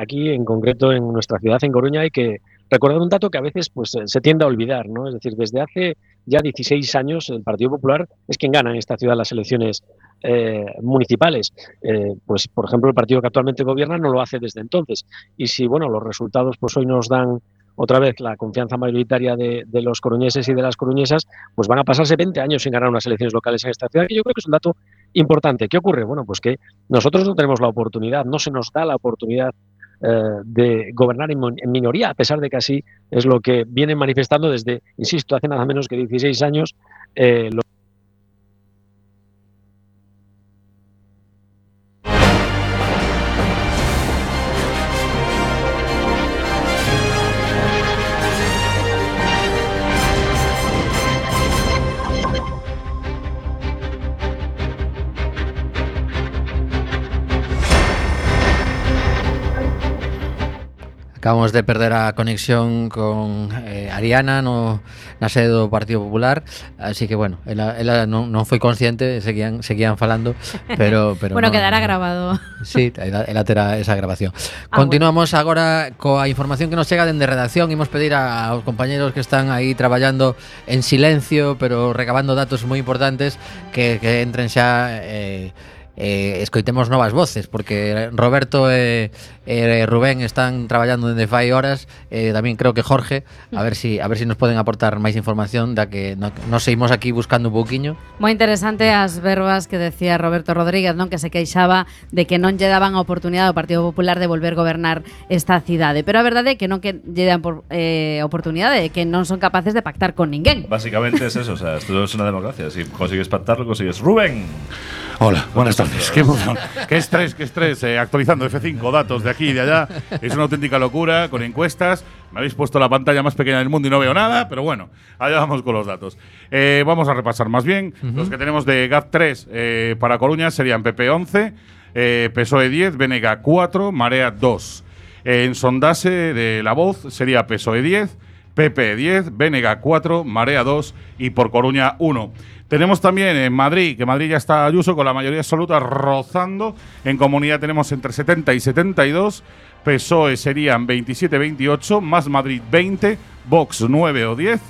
aquí, en concreto en nuestra ciudad, en Coruña, hay que recordar un dato que a veces pues, se tiende a olvidar, ¿no? Es decir, desde hace ya 16 años el Partido Popular es quien gana en esta ciudad las elecciones municipales. Pues, por ejemplo, el partido que actualmente gobierna no lo hace desde entonces. Y si, bueno, los resultados pues hoy nos dan otra vez la confianza mayoritaria de los coruñeses y de las coruñesas, pues van a pasarse 20 años sin ganar unas elecciones locales en esta ciudad, que yo creo que es un dato importante. ¿Qué ocurre? Bueno, pues que nosotros no tenemos la oportunidad, no se nos da la oportunidad de gobernar en minoría, a pesar de que así es lo que vienen manifestando desde, insisto, hace nada menos que 16 años. Acabamos de perder a conexión con Ariana na sede do Partido Popular, así que, bueno, ela non foi consciente, seguían falando, pero bueno, quedará grabado. Sí, ela terá esa grabación. Continuamos agora coa información que nos chega dende redacción. Imos pedir aos compañeros que están aí traballando en silencio, pero recabando datos moi importantes, que entren xa escoitemos novas voces, porque Roberto e Rubén están traballando dende fai horas, tamén creo que Jorge, a ver si nos poden aportar máis información da que nos seguimos aquí buscando un pouquiño. Moi interesante as verbas que decía Roberto Rodríguez, non, que se queixaba de que non lle daban a oportunidade ao Partido Popular de volver gobernar esta cidade, pero a verdade é que non que lle dan oportunidade, que non son capaces de pactar con ninguén. Básicamente es eso, o sea, esto es una democracia, si consigues pactarlo, consigues. Rubén. Hola, buenas tardes. Qué emoción. Qué estrés. Actualizando F5, datos de aquí y de allá. Es una auténtica locura, con encuestas. Me habéis puesto la pantalla más pequeña del mundo y no veo nada, pero bueno, allá vamos con los datos. Vamos a repasar más bien. Los que tenemos de GAP3 para Coruña serían PP 11, PSOE 10, BNG 4, Marea 2. En sondase de La Voz sería PSOE 10, PP 10, BNG 4, Marea 2 y por Coruña 1. Tenemos también en Madrid, que Madrid ya está Ayuso con la mayoría absoluta rozando. En Comunidad tenemos entre 70 y 72. PSOE serían 27-28, más Madrid 20, Vox 9 o 10,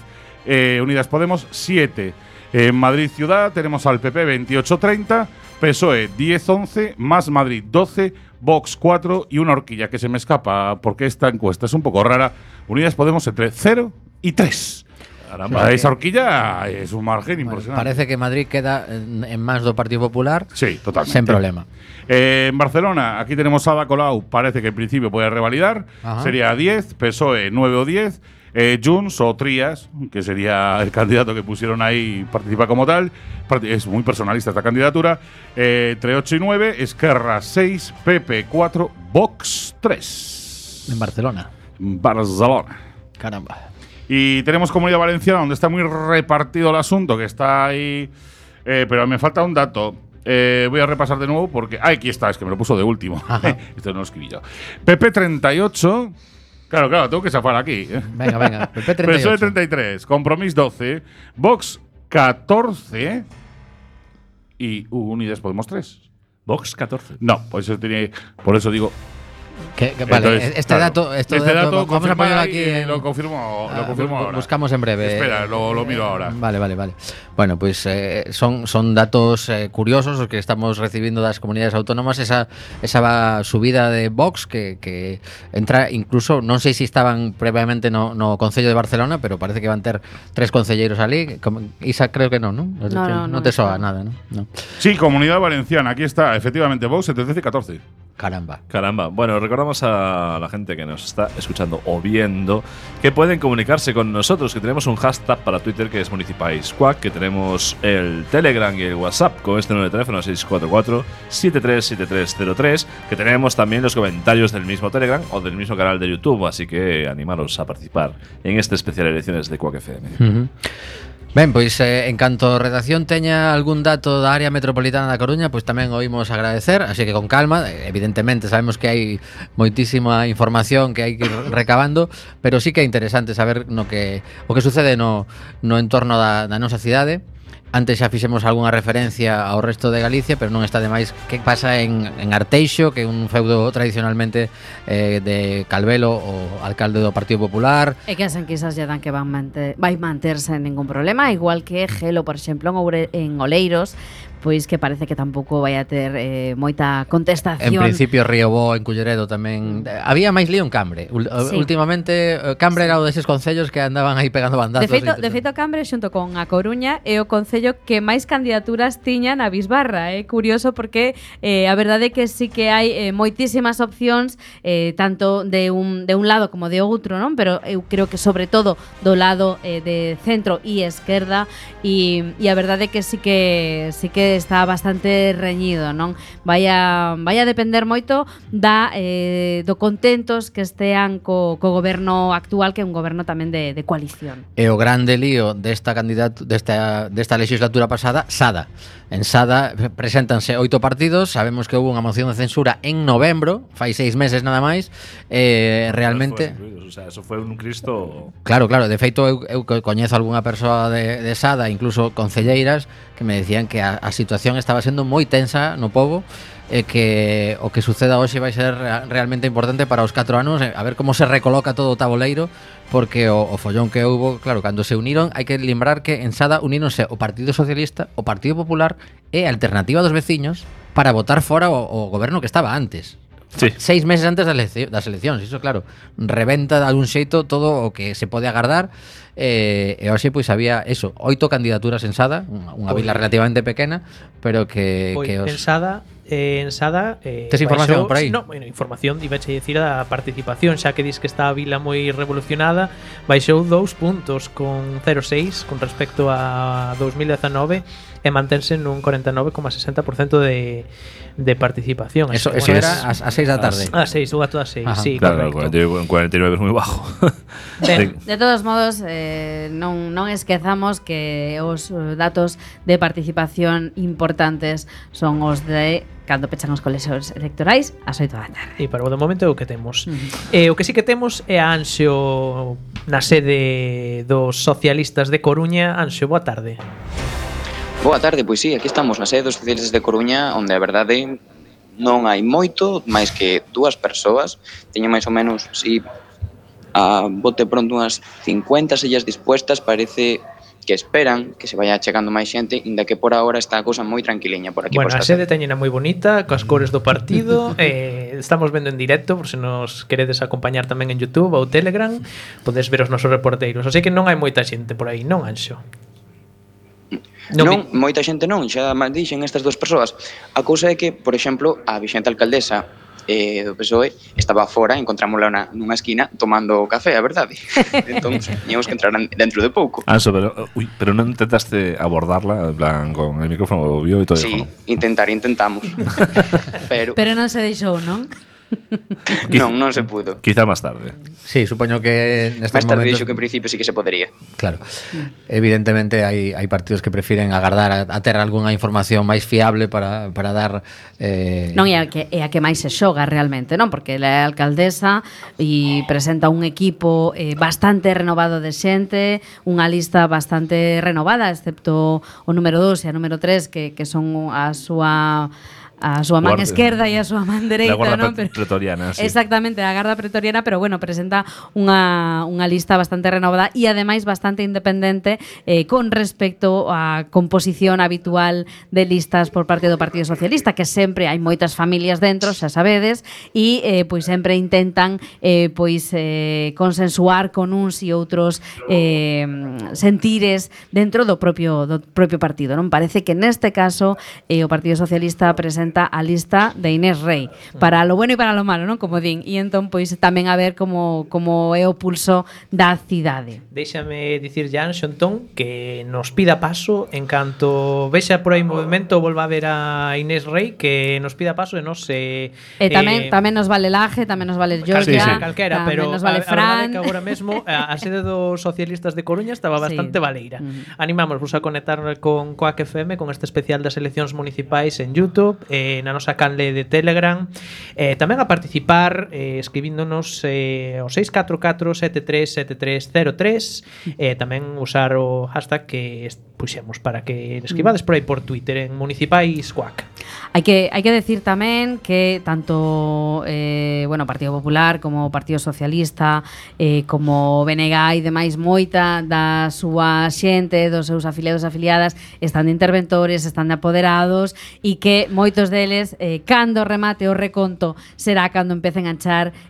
Unidas Podemos 7. En Madrid Ciudad tenemos al PP 28-30, PSOE 10-11, más Madrid 12, Vox 4 y una horquilla que se me escapa porque esta encuesta es un poco rara. Unidas Podemos entre 0 y 3. Caramba, esa horquilla es un margen impresionante. Parece que Madrid queda en más do Partido Popular. Sí, totalmente. Sin problema. En Barcelona, aquí tenemos a Ada Colau, parece que en principio puede revalidar. Ajá. Sería 10, PSOE 9 o 10, Junts o Trías, que sería el candidato que pusieron ahí, participa como tal. Es muy personalista esta candidatura. Entre 8 y 9, Esquerra 6, PP 4, Vox 3. En Barcelona. Barcelona. Caramba. Y tenemos Comunidad Valenciana, donde está muy repartido el asunto, que está ahí. Pero me falta un dato. Voy a repasar de nuevo porque. Aquí está, es que me lo puso de último. Esto no lo escribí yo. PP 38. Claro, tengo que zafar aquí. Venga. PP 38. PSOE 33. Compromís 12. Vox 14. Y Unidas Podemos 3. Vox 14. No, por eso digo. Vale, entonces, este dato vamos a ponerlo aquí. Lo confirmo ahora. Buscamos en breve. Espera, lo miro ahora. Vale. Bueno, pues son datos curiosos los que estamos recibiendo das comunidades autónomas. Esa subida de Vox que entra incluso, non sei se estaban previamente no Concello de Barcelona, pero parece que van ter 3 concelleiros ali. Isa, creo que no te soa nada, ¿no? Sí, Comunidad Valenciana, aquí está, efectivamente, Vox entre 13 y 14. Caramba. Bueno, recordamos a la gente que nos está escuchando o viendo que pueden comunicarse con nosotros, que tenemos un hashtag para Twitter que es MunicipalsQuack, que tenemos el Telegram y el WhatsApp con este número de teléfono 644-737303, que tenemos también los comentarios del mismo Telegram o del mismo canal de YouTube, así que animaros a participar en este especial elecciones de Quack FM. Ben, pois en canto a redacción teña algún dato da área metropolitana da Coruña, pois tamén o imos agradecer, así que con calma. Evidentemente sabemos que hai moitísima información que hai que ir recabando, pero sí que é interesante saber o que sucede no entorno da nosa cidade. Antes xa fixemos algunha referencia ao resto de Galicia, pero non está de máis que pasa en Arteixo, que é un feudo tradicionalmente de Calvelo, o alcalde do Partido Popular. E que as enquisas lle dan que vai manterse en ningún problema, igual que Gelo, por exemplo, en Oleiros, pois que parece que tampouco vai a ter moita contestación. En principio Riobó, en Culleredo tamén. Había máis lío en Cambre. Sí. Últimamente Cambre era o deses concellos que andaban aí pegando bandazos. De feito Cambre xunto con A Coruña é o concello que máis candidaturas tiñan a Bisbarra. É curioso porque a verdade é que sí que hai moitísimas opcións, tanto de un lado como de outro, non? Pero eu creo que sobre todo do lado de centro e esquerda, e a verdade é que sí que está bastante reñido, non? Vai a depender moito do contentos que estean co goberno actual, que é un goberno tamén de coalición. E o grande lío desta legislatura pasada, Sada. En Sada preséntanse 8 partidos. Sabemos que houve unha moción de censura en novembro, fai 6 meses nada máis. Realmente, o sea, eso fue un Cristo. Claro, de feito eu coñezo algunha persoa de Sada, incluso concelleiras, que me decían que a situación estaba sendo moi tensa no pobo, e que o que suceda hoxe vai ser realmente importante para os 4 anos, a ver como se recoloca todo o taboleiro, porque o follón que houbo, claro, cando se uniron, hai que lembrar que en Sada uníronse o Partido Socialista, o Partido Popular e a Alternativa dos Veciños para votar fora o goberno que estaba antes. Sí. 6 meses antes das eleccións. Iso, claro, reventa de algún xeito todo o que se pode agardar. E hoxe pois había eso, 8 candidaturas en Sada, unha vila relativamente pequena, pero que En Sada tes información por aí? No, bueno, información, ibache dicir a participación, xa que dis que está a vila moi revolucionada, baixou 2 puntos con 0,6 con respecto a 2019 e mantense nun 49,60% de participación. Eso era a 6 da tarde. A 6, ou a todas 6, sí, claro, correcto. 49 es moi bajo. De todos modos, non esquezamos que os datos de participación importantes son os de cando pechan os colexios electorais ás 8 da tarde. E para o momento é o que temos. O que sí que temos é a Anxo na sede dos socialistas de Coruña. Anxo, boa tarde. Boa tarde, pois sí, aquí estamos na sede dos socialistas de Coruña, onde a verdade non hai moito, máis que 2 persoas. Teño máis ou menos, si a bote pronto unhas 50 sillas dispuestas, parece que esperan que se vaya chegando máis xente, inda que por agora está a cousa moi tranquiliña por aquí. Bueno, a sede teñena moi bonita, coas cores do partido. Estamos vendo en directo, por se nos queredes acompañar tamén en YouTube ou Telegram, podes ver os nosos reporteiros. Así que non hai moita xente por aí, non, Anxo? Non, moita xente non, xa dixen estas 2 persoas. A cousa é que, por exemplo, a vixente alcaldesa do PSOE estaba fora, encontrámola nunha esquina tomando café, a verdade. Entón, teníamos que entrar dentro de pouco. Anxo, pero non intentaste abordarla, en plan, con el micrófono obvio e todo. Sí, intentamos. pero non se deixou, non? non se pudo. Quizá máis tarde. Sí, supoño que nestes máis tarde momentos dixo que en principio sí que se podería. Claro. Evidentemente hai partidos que prefiren agardar a ter algunha información máis fiable para dar Non, é a que máis se xoga realmente, non? Porque ela é alcaldesa e presenta un equipo bastante renovado de xente, unha lista bastante renovada, excepto o número 2 e a número 3 que son a súa man esquerda e a súa man dereita, non? Pretoriana, sí. Exactamente, a Garda Pretoriana, pero bueno, presenta unha lista bastante renovada e ademais bastante independente con respecto á composición habitual de listas por parte do Partido Socialista, que sempre hai moitas familias dentro, xa sabedes, e pois sempre intentan consensuar con uns e outros sentires dentro do propio partido, non? Parece que neste caso o Partido Socialista presenta a lista de Inés Rei, para lo bueno e para lo malo, non? Como din, e entón pois tamén a ver como é o pulso da cidade. Déixame dicir ya, Xantón, que nos pida paso en canto vexa por aí movimento, volva a ver a Inés Rei, que nos pida paso e nos tamén nos vale Laje, tamén nos vale Georgia, calquera, pero nos vale Fran. Que agora mesmo a sede dos socialistas de Coruña estaba bastante baleira. Animamos vos a conectar con Coac FM, con este especial das eleccións municipais en YouTube, na nosa canle de Telegram, tamén a participar escribíndonos o 644-737303, tamén usar o hashtag que puxemos para que escribades por aí por Twitter en Municipais Cuac. Hai que decir tamén que tanto Partido Popular como Partido Socialista como BNG e demais moita da súa xente, dos seus afiliados e afiliadas están de interventores, están de apoderados e que moitos deles cando remate o reconto será cando empecen a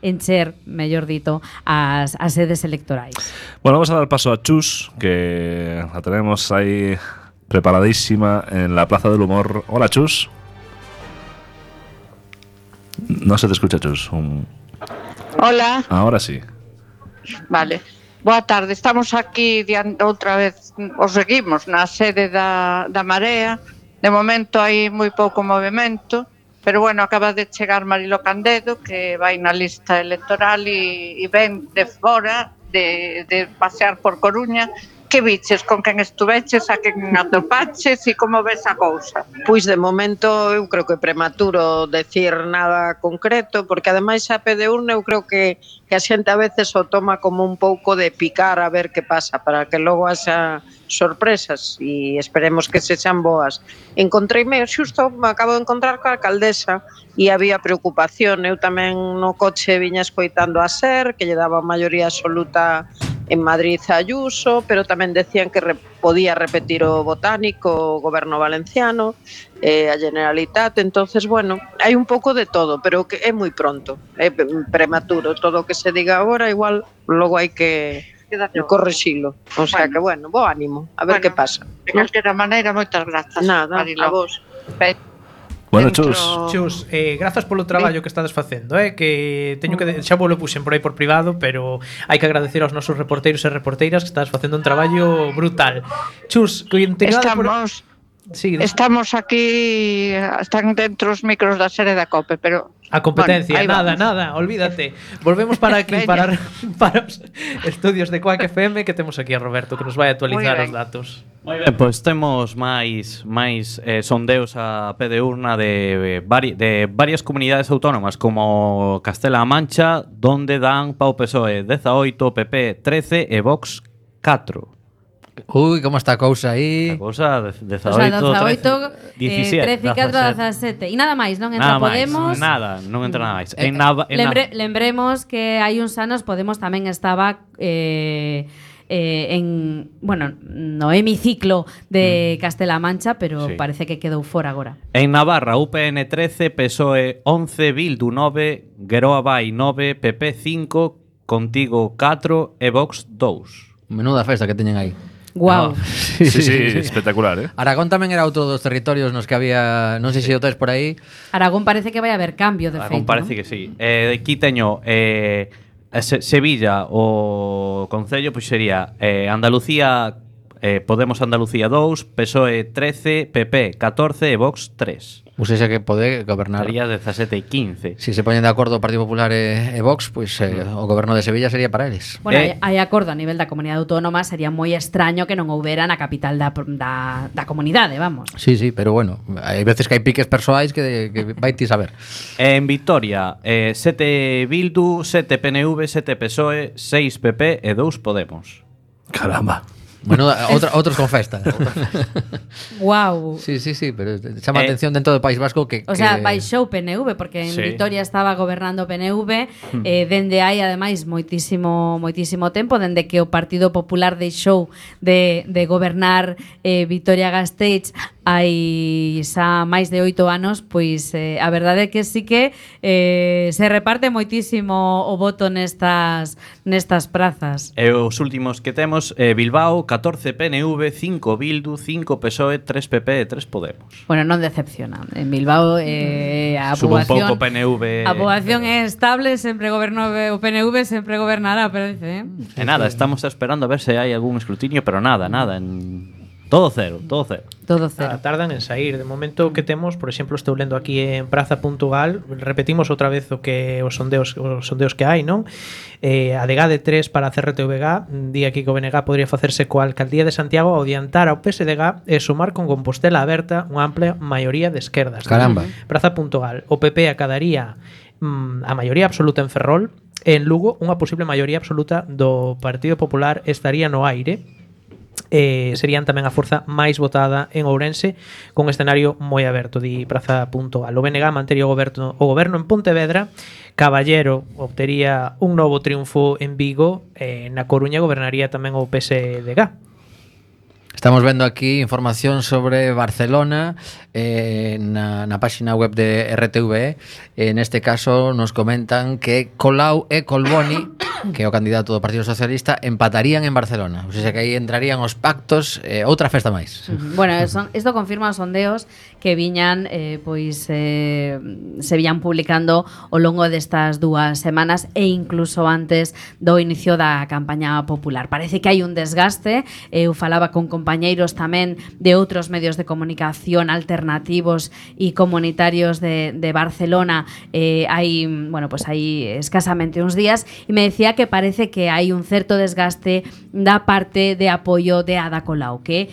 encher, mellor dito, as sedes electorais. Bueno, vamos a dar paso a Chus, que la tenemos ahí preparadísima en la Plaza del Humor. Hola, Chus. No se te escucha, Chus. Hola. Ahora sí. Vale. Boa tarde. Estamos aquí outra vez, os seguimos na sede da Marea. De momento hai moi pouco movimento, pero bueno, acaba de chegar Marilo Candedo, que vai na lista electoral e ven de fora de pasear por Coruña. Que viches, con quen estuveches, a quen atopaches e como ves a cousa? Pois de momento eu creo que é prematuro decir nada concreto, porque ademais a pé de urna eu creo que a xente a veces o toma como un pouco de picar a ver que pasa, para que logo haxa sorpresas e esperemos que sexan boas. Encontreime, xusto me acabo de encontrar coa alcaldesa e había preocupación. Eu tamén no coche viña escoitando a SER, que lle daba maioría absoluta en Madrid a Ayuso, pero tamén decían que podía repetir o Botánico, o Goberno Valenciano, a Generalitat. Entonces, bueno, hai un pouco de todo, pero que é moi pronto, é prematuro. Todo o que se diga agora, igual logo hai que correxilo. O sea que, bueno, bo ánimo, a ver que pasa. De calquera maneira, moitas grazas. Nada, Marilo. a vos. Bueno, Chus. Chus, grazas polo traballo que estades facendo, que teño que xa vos lo puxen por aí por privado, pero hai que agradecer aos nosos reporteiros e reporteiras que estades facendo un traballo brutal. Chus, estamos estamos aquí, están dentro os micros da sede da COPE, pero a competencia, bueno, nada, olvídate. Volvemos para aquí para os estudios de Cuac FM, que temos aquí a Roberto que nos vai actualizar os datos. Moi ben, pois temos máis sondeos a pé de urna de varias comunidades autónomas como Castela-A Mancha, donde dan pa o PSOE 18, PP 13 e Vox 4. Uy, como está a cousa aí. A cousa 18, 18 17, 13, 4, 17. E nada máis, non entra Podemos. Non entra nada máis. Lembremos que hai uns anos Podemos tamén estaba no hemiciclo de Castela-A Mancha, pero sí, parece que quedou fora agora. En Navarra, UPN 13, PSOE 11, Bildu 9, Geroa Vai 9, PP 5, Contigo 4 e Vox 2. Menuda festa que teñen aí. Guau. Sí, espectacular, Aragón tamén era outro dos territorios nos que había, non sei se o tes por aí. Aragón parece que vai haber cambio de feito. Aragón parece, ¿no?, que sí. Aquí teño Sevilla, o concello, pois sería Andalucía, Podemos Andalucía 2, PSOE 13, PP 14 e Vox 3. Ou seja que pode gobernar. Sería 17 e 15. Si se poñen de acordo o Partido Popular e Vox, pois o goberno de Sevilla sería para eles. Bueno, hai acordo a nivel da comunidade autónoma, sería moi extraño que non houbera na capital da comunidade, vamos. Sí, pero bueno, hai veces que hai piques persoais que vai ti saber. En Vitoria, 7 Bildu, 7 PNV, 7 PSOE, 6 PP e 2 Podemos. Caramba. Bueno, outros con festa. Guau. Sí, pero chama atención dentro do País Vasco que o sea, baixou PNV porque en Vitoria estaba gobernando PNV dende hai ademais moitísimo tempo, dende que o Partido Popular deixou de gobernar Vitoria-Gasteiz hai xa máis de 8 anos, pois a verdade é que sí que se reparte moitísimo o voto nestas prazas. E os últimos que temos, Bilbao 14 PNV, 5 Bildu, 5 PSOE, 3 PP e 3 Podemos. Bueno, non decepciona. En Bilbao a poboación, un pouco PNV. A poboación é estable, sempre gobernou o PNV, sempre gobernará, parece. E nada, estamos esperando a ver se hai algún escrutinio, pero nada. Todo cero, todo cero. Todo cero. Tardan en sair. De momento que temos, por exemplo, estou lendo aquí en Praza.gal, repetimos outra vez o que os sondeos que hai, non? A DG de 3 para a CRTVG, di aquí que o BNG podría facerse coa Alcaldía de Santiago ao adiantar ao PSDG e sumar con Compostela aberta unha amplia maioría de esquerdas. Caramba. Praza.gal, o PP acadaría a maioría absoluta en Ferrol, e en Lugo unha posible maioría absoluta do Partido Popular estaría no aire. Serían tamén a forza máis votada en Ourense, con un escenario moi aberto, di Praza.gal. O BNG mantería o goberno en Pontevedra, Caballero obtería un novo triunfo en Vigo, na Coruña gobernaría tamén o PSDG. Estamos vendo aquí información sobre Barcelona na página web de RTVE. En este caso nos comentan que Colau e Colboni, que é o candidato do Partido Socialista, empatarían en Barcelona. O sea que aí entrarían os pactos, outra festa máis. Bueno, isto confirma os sondeos que viñan se viñan publicando ao longo destas 2 semanas e incluso antes do inicio da campaña popular. Parece que hai un desgaste. Eu falaba con compañeiros tamén de outros medios de comunicación alternativos e comunitarios de Barcelona hai escasamente uns días, e me decía que parece que hai un certo desgaste da parte de apoio de Ada Colau, que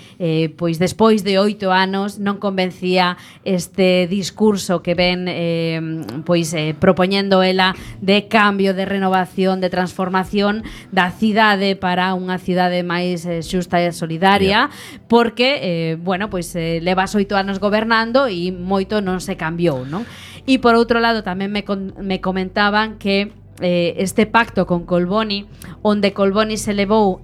pois despois de 8 anos non convencía este discurso que ven propoñendo ela de cambio, de renovación, de transformación da cidade para unha cidade máis xusta e solidaria, porque levas 8 anos gobernando e moito non se cambiou, non? E por outro lado tamén me comentaban que este pacto con Colboni, onde Colboni se levou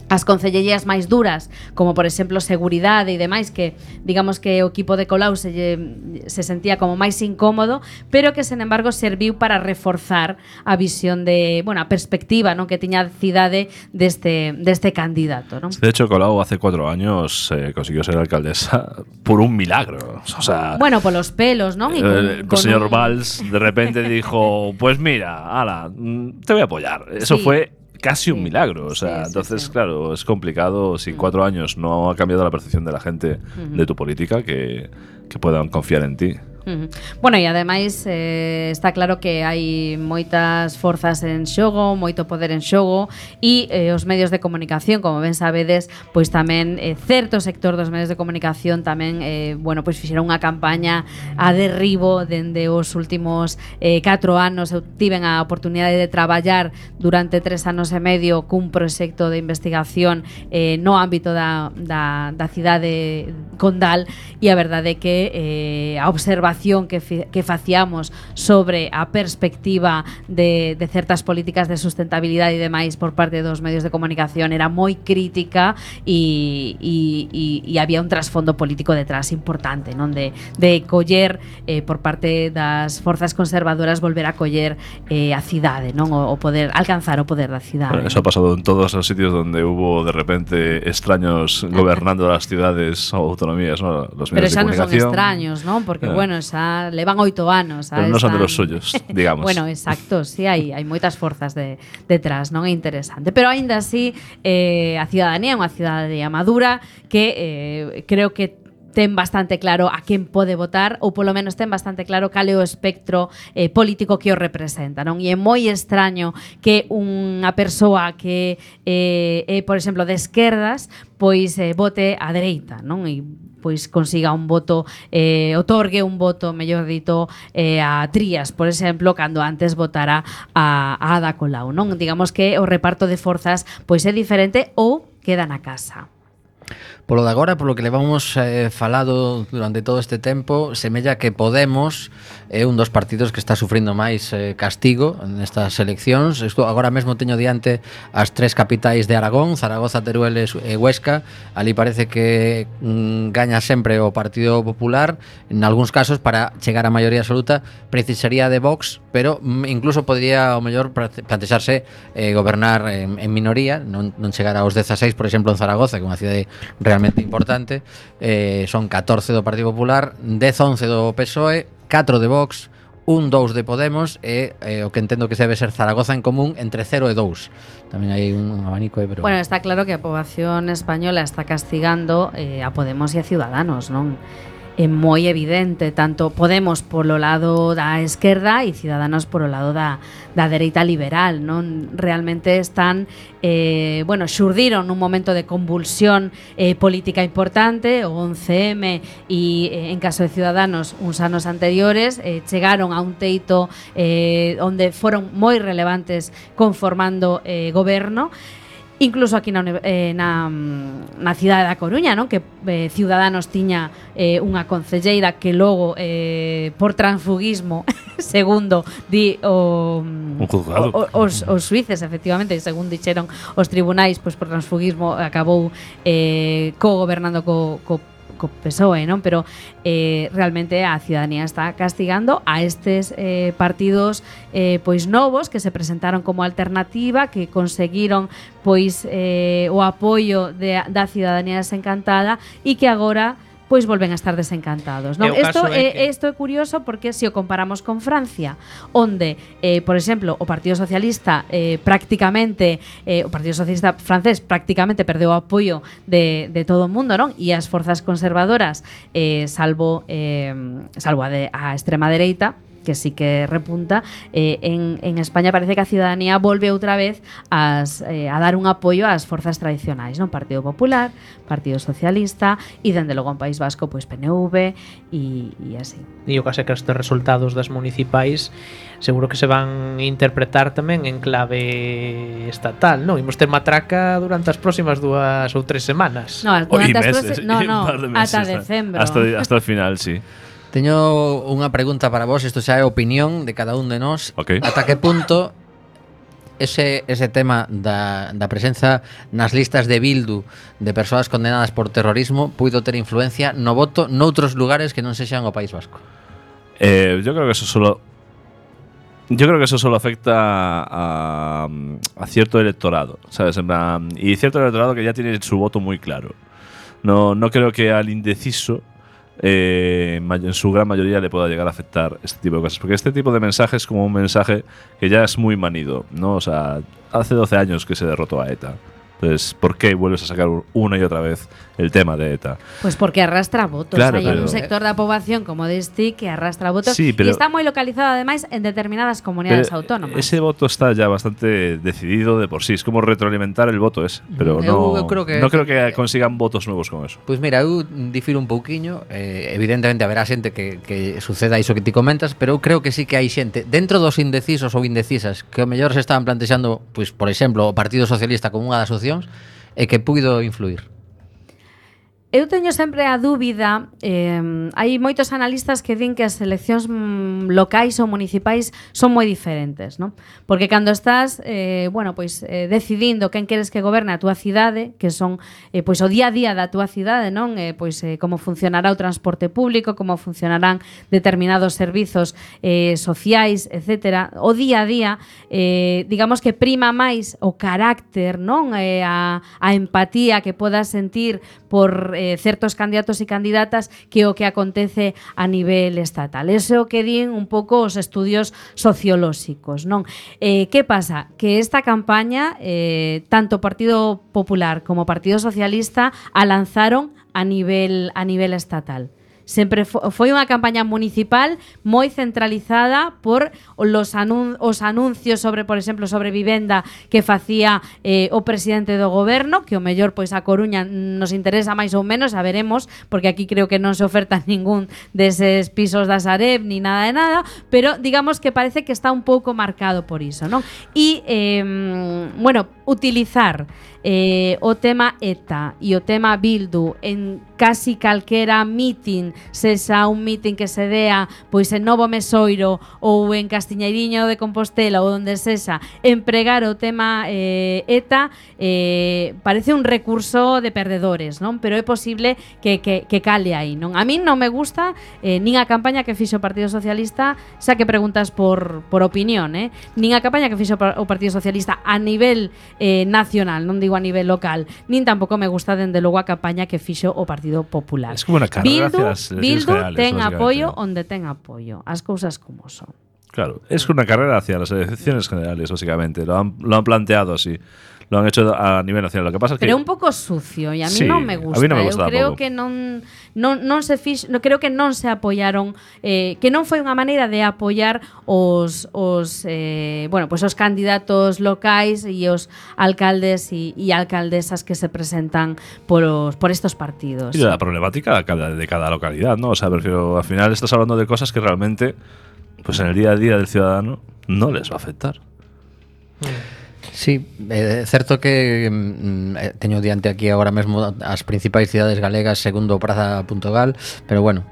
as concellerías máis duras, como por exemplo seguridade e demais, que digamos que o equipo de Colau se sentía como máis incómodo, pero que sen embargo serviu para reforzar a visión de, a perspectiva, non, que tiña a cidade deste candidato, non? De hecho, Colau hace 4 años consiguió ser alcaldesa por un milagro. O sea, polos pelos, non? El señor Valls de repente dijo, pues mira, ala, te voy a apoyar. Eso fue casi un milagro, o sea, entonces claro, es complicado si 4 años no ha cambiado la percepción de la gente de tu política que puedan confiar en ti. Bueno, e ademais está claro que hai moitas forzas en xogo, moito poder en xogo, e os medios de comunicación, como ben sabedes, pois tamén certo sector dos medios de comunicación tamén fixeron unha campaña a derribo dende os últimos 4 anos. Eu tiven a oportunidade de traballar durante 3 anos e medio cun proxecto de investigación no ámbito da cidade condal, e a verdade é que a observación que facíamos sobre a perspectiva de certas políticas de sustentabilidade e demais por parte dos medios de comunicación era moi crítica, e había un trasfondo político detrás importante, non, de coller por parte das forzas conservadoras, volver a coller a cidade, non, o poder alcanzar o poder da cidade. Eso ha pasado en todos los sitios donde hubo de repente extraños gobernando las ciudades o autonomías, ¿no? Los medios de comunicación. Pero xa non son extraños, non? Porque xa levan 8 anos. Pero non son de los suyos, digamos. Bueno, exacto, sí, hai moitas forzas detrás, non? É interesante. Pero aínda así, a cidadanía é unha cidadanía madura que creo que ten bastante claro a quen pode votar, ou polo menos ten bastante claro cal é o espectro político que o representa, non? E é moi extraño que unha persoa que é, por exemplo, de esquerdas, pois vote á dereita, non? E pois consiga un voto, otorgue un voto, mellor dito, a Trías, por exemplo, cando antes votara a Ada Colau, non? Digamos que o reparto de forzas pois é diferente ou queda na casa. Polo de agora, polo que levamos falado durante todo este tempo, semella que Podemos é un dos partidos que está sufrindo máis castigo nestas eleccións. Isto agora mesmo teño diante as 3 capitais de Aragón, Zaragoza, Teruel e Huesca. Ali parece que gaña sempre o Partido Popular. En algúns casos, para chegar á maioría absoluta, precisaría de Vox, pero incluso podría, ao mellor, plantexarse gobernar en minoría, non chegar aos 16, por exemplo, en Zaragoza, que é unha cidade realmente importante. Son 14 do Partido Popular, 10-11 do PSOE, 4 de Vox, un 2 de Podemos e o que entendo que debe ser Zaragoza en Común entre 0 e 2. Tamén hai un abanico aí, pero... Bueno, está claro que a poboación española está castigando a Podemos e a Ciudadanos, non? É moi evidente, tanto Podemos polo lado da esquerda e Ciudadanos polo lado da dereita liberal, non? Realmente están, xurdiron nun momento de convulsión política importante, o 11M e en caso de Ciudadanos uns anos anteriores, chegaron a un teito onde foron moi relevantes conformando goberno. Incluso aquí na cidade da Coruña, non? Que Ciudadanos tiña unha concelleira que logo por transfugismo segundo di os suíces, efectivamente, según dixeron os tribunais, pois por transfugismo acabou co-gobernando co PSOE, non? Pero realmente a ciudadanía está castigando a estes partidos pois novos que se presentaron como alternativa, que conseguiron pois o apoio da ciudadanía desencantada e que agora pois volven a estar desencantados, non? Isto é curioso porque se o comparamos con Francia, onde, por exemplo, o Partido Socialista prácticamente, o Partido Socialista francés prácticamente perdeu o apoio de todo o mundo, non? E as forzas conservadoras, salvo a extrema dereita, que sí que repunta, en España parece que a ciudadanía volve outra vez a dar un apoio ás forzas tradicionais, non? Partido Popular, Partido Socialista e dende logo en País Vasco pois PNV e así. E o caso é que estes resultados das municipais seguro que se van interpretar tamén en clave estatal, non? Imos ter matraca durante as próximas 2 ou 3 semanas. No, ata decembro. Hasta o final, sí. Teño unha pregunta para vos, isto xa é opinión de cada un de nós. Okay. Ata que punto ese tema da presenza nas listas de Bildu de persoas condenadas por terrorismo puido ter influencia no voto noutros lugares que non sexan o País Vasco? Yo creo que eso solo afecta a cierto electorado, ¿sabes? Y cierto electorado que ya tiene su voto muy claro. No creo que al indeciso en su gran mayoría le pueda llegar a afectar este tipo de cosas, porque este tipo de mensaje es como un mensaje que ya es muy manido, ¿no? O sea, hace 12 años que se derrotó a ETA. Entonces, ¿por qué vuelves a sacar una y otra vez el tema de ETA? Pues porque arrastra votos. Claro, Hay un sector da poboación como deste que arrastra votos, sí, y está moi localizado ademais en determinadas comunidades autónomas. Ese voto está ya bastante decidido de por sí. Es como retroalimentar el voto ese. Pero no creo que consigan votos nuevos con eso. Pois mira, eu difiro un pouquiño. Evidentemente haberá xente que suceda iso que ti comentas, pero eu creo que sí que hai xente dentro dos indecisos ou indecisas que o mellor se estaban plantexando, pois, por exemplo, o Partido Socialista como unha das opcións e que puido influir. Eu teño sempre a dúbida, hai moitos analistas que din que as eleccións locais ou municipais son moi diferentes, non? Porque cando estás, decidindo quen queres que goberne a túa cidade, que son pois o día a día da túa cidade, non? Como funcionará o transporte público, como funcionarán determinados servizos sociais, etcétera. O día a día, digamos que prima máis o carácter, non? A empatía que podas sentir por certos candidatos e candidatas que o que acontece a nivel estatal. Eso é o que din un pouco os estudios sociolóxicos, non? Que pasa? Que esta campaña, tanto o Partido Popular como o Partido Socialista a lanzaron a nivel estatal. Sempre foi unha campaña municipal moi centralizada por os anuncios sobre, por exemplo, sobre vivenda que facía o presidente do goberno, que o mellor pois a Coruña nos interesa máis ou menos, a veremos, porque aquí creo que non se oferta ningún deses pisos da Sareb ni nada de nada, pero digamos que parece que está un pouco marcado por iso, non? E, utilizar o tema ETA e o tema Bildu en casi calquera meeting, sexa un meeting que se dea pois en Novo Mesoiro ou en Castiñeiriño de Compostela ou onde sexa, empregar o tema ETA parece un recurso de perdedores, non? Pero é posible que cale aí, non? A min non me gusta nin a campaña que fixo o Partido Socialista, xa que preguntas por opinión, nin a campaña que fixo o Partido Socialista a nivel nacional, non digo a a nivel local, nin tampouco me gusta dende logo a campaña que fixo o Partido Popular. Es como una carrera hacia las elecciones Bildu generales, ten básicamente, apoio ¿no? onde ten apoio, as cousas como son. Claro, es una carrera hacia las elecciones generales, básicamente. Lo han planteado así. Lo han hecho a nivel nacional. Lo que pasa es que Pero é un pouco sucio e a mí Sí, non me gusta. a mí non me gusta Eu creo tampouco. que non se fix, no, creo que non se apoiaron, que non foi unha maneira de apoiar os candidatos locais e os alcaldes e alcaldesas que se presentan por estos partidos. y la problemática de cada localidad, ¿no? O sea, prefiero, al final estás hablando de cosas que realmente, pues en el día a día del ciudadano, no les va a afectar. Sí, é certo que teño diante aquí agora mesmo as principais cidades galegas segundo Praza.gal, pero bueno,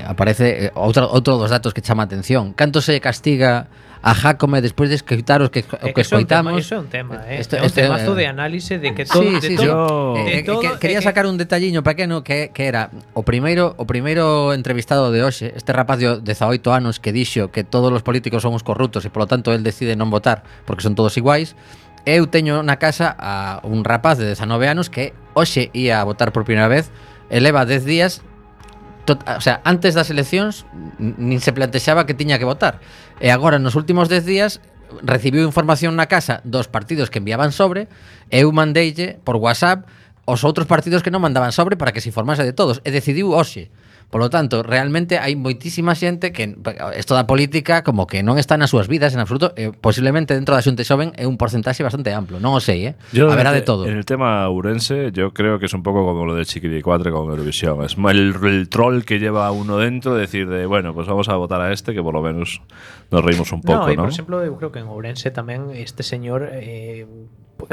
aparece outro dos datos que chama a atención. Canto se castiga a Jácome despois de escoitar o que escoitamos? Eso é un tema, é Este- un este- temazo de análise de que todo, Sí, de sí, todo, sí. de todo Quería é que- sacar un detalliño pequeno que era o primeiro entrevistado de hoxe, este rapaz de 18 anos que dixo que todos os políticos son uns corruptos e polo tanto el decide non votar porque son todos iguais. Eu teño na casa a un rapaz de 19 anos que hoxe ia a votar por primeira vez e leva 10 días o sea, antes das eleccións nin se plantexaba que tiña que votar e agora nos últimos 10 días recibiu información na casa dos partidos que enviaban sobre e eu mandeille por WhatsApp os outros partidos que non mandaban sobre para que se informase de todos e decidiu hoxe. Polo tanto, realmente hai moitísima xente que isto da política como que non está nas súas vidas en absoluto, posiblemente dentro da xunta xoven é un porcentaxe bastante amplo, non o sei, haberá de todo. En el tema urense, yo creo que es un poco como lo del Chiquilicuatre con Eurovisión. Es el troll que lleva uno dentro, decir de, bueno, pues vamos a votar a este, que por lo menos nos reímos un poco, e, ¿no? por exemplo, eu creo que en Ourense tamén este señor é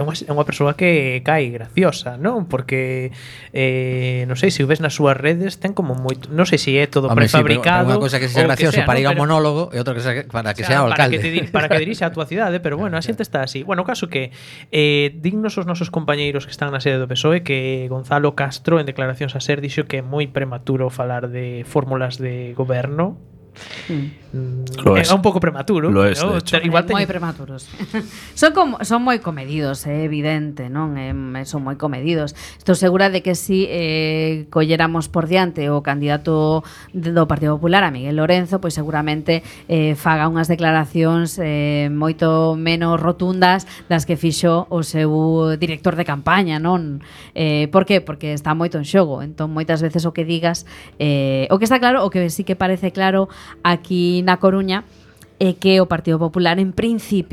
unha persoa que cae graciosa, non? Porque non sei se o ves nas súas redes ten como moito, non sei se é todo Hombre, prefabricado. Sí, unha cosa que sea gracioso para ir a un monólogo e outra cosa para que sea o alcalde. Para que dirixa a túa cidade, pero bueno, a xente está así. Bueno, o caso que dignos os nosos compañeiros que están na sede do PSOE que Gonzalo Castro en declaracións a SER dixo que é moi prematuro falar de fórmulas de goberno. É un pouco prematuro, lo es, ¿no? de hecho. Igual moi prematuros. son moi comedidos, é evidente, non? Son moi comedidos. Estou segura de que si colléramos por diante o candidato do Partido Popular, a Miguel Lorenzo, pois seguramente faga unhas declaracións moito menos rotundas das que fixo o seu director de campaña, non? Por qué? Porque está moito en xogo. Entón, moitas veces o que digas, o que está claro, o que sí que parece claro aquí na Coruña, é que o Partido Popular en principio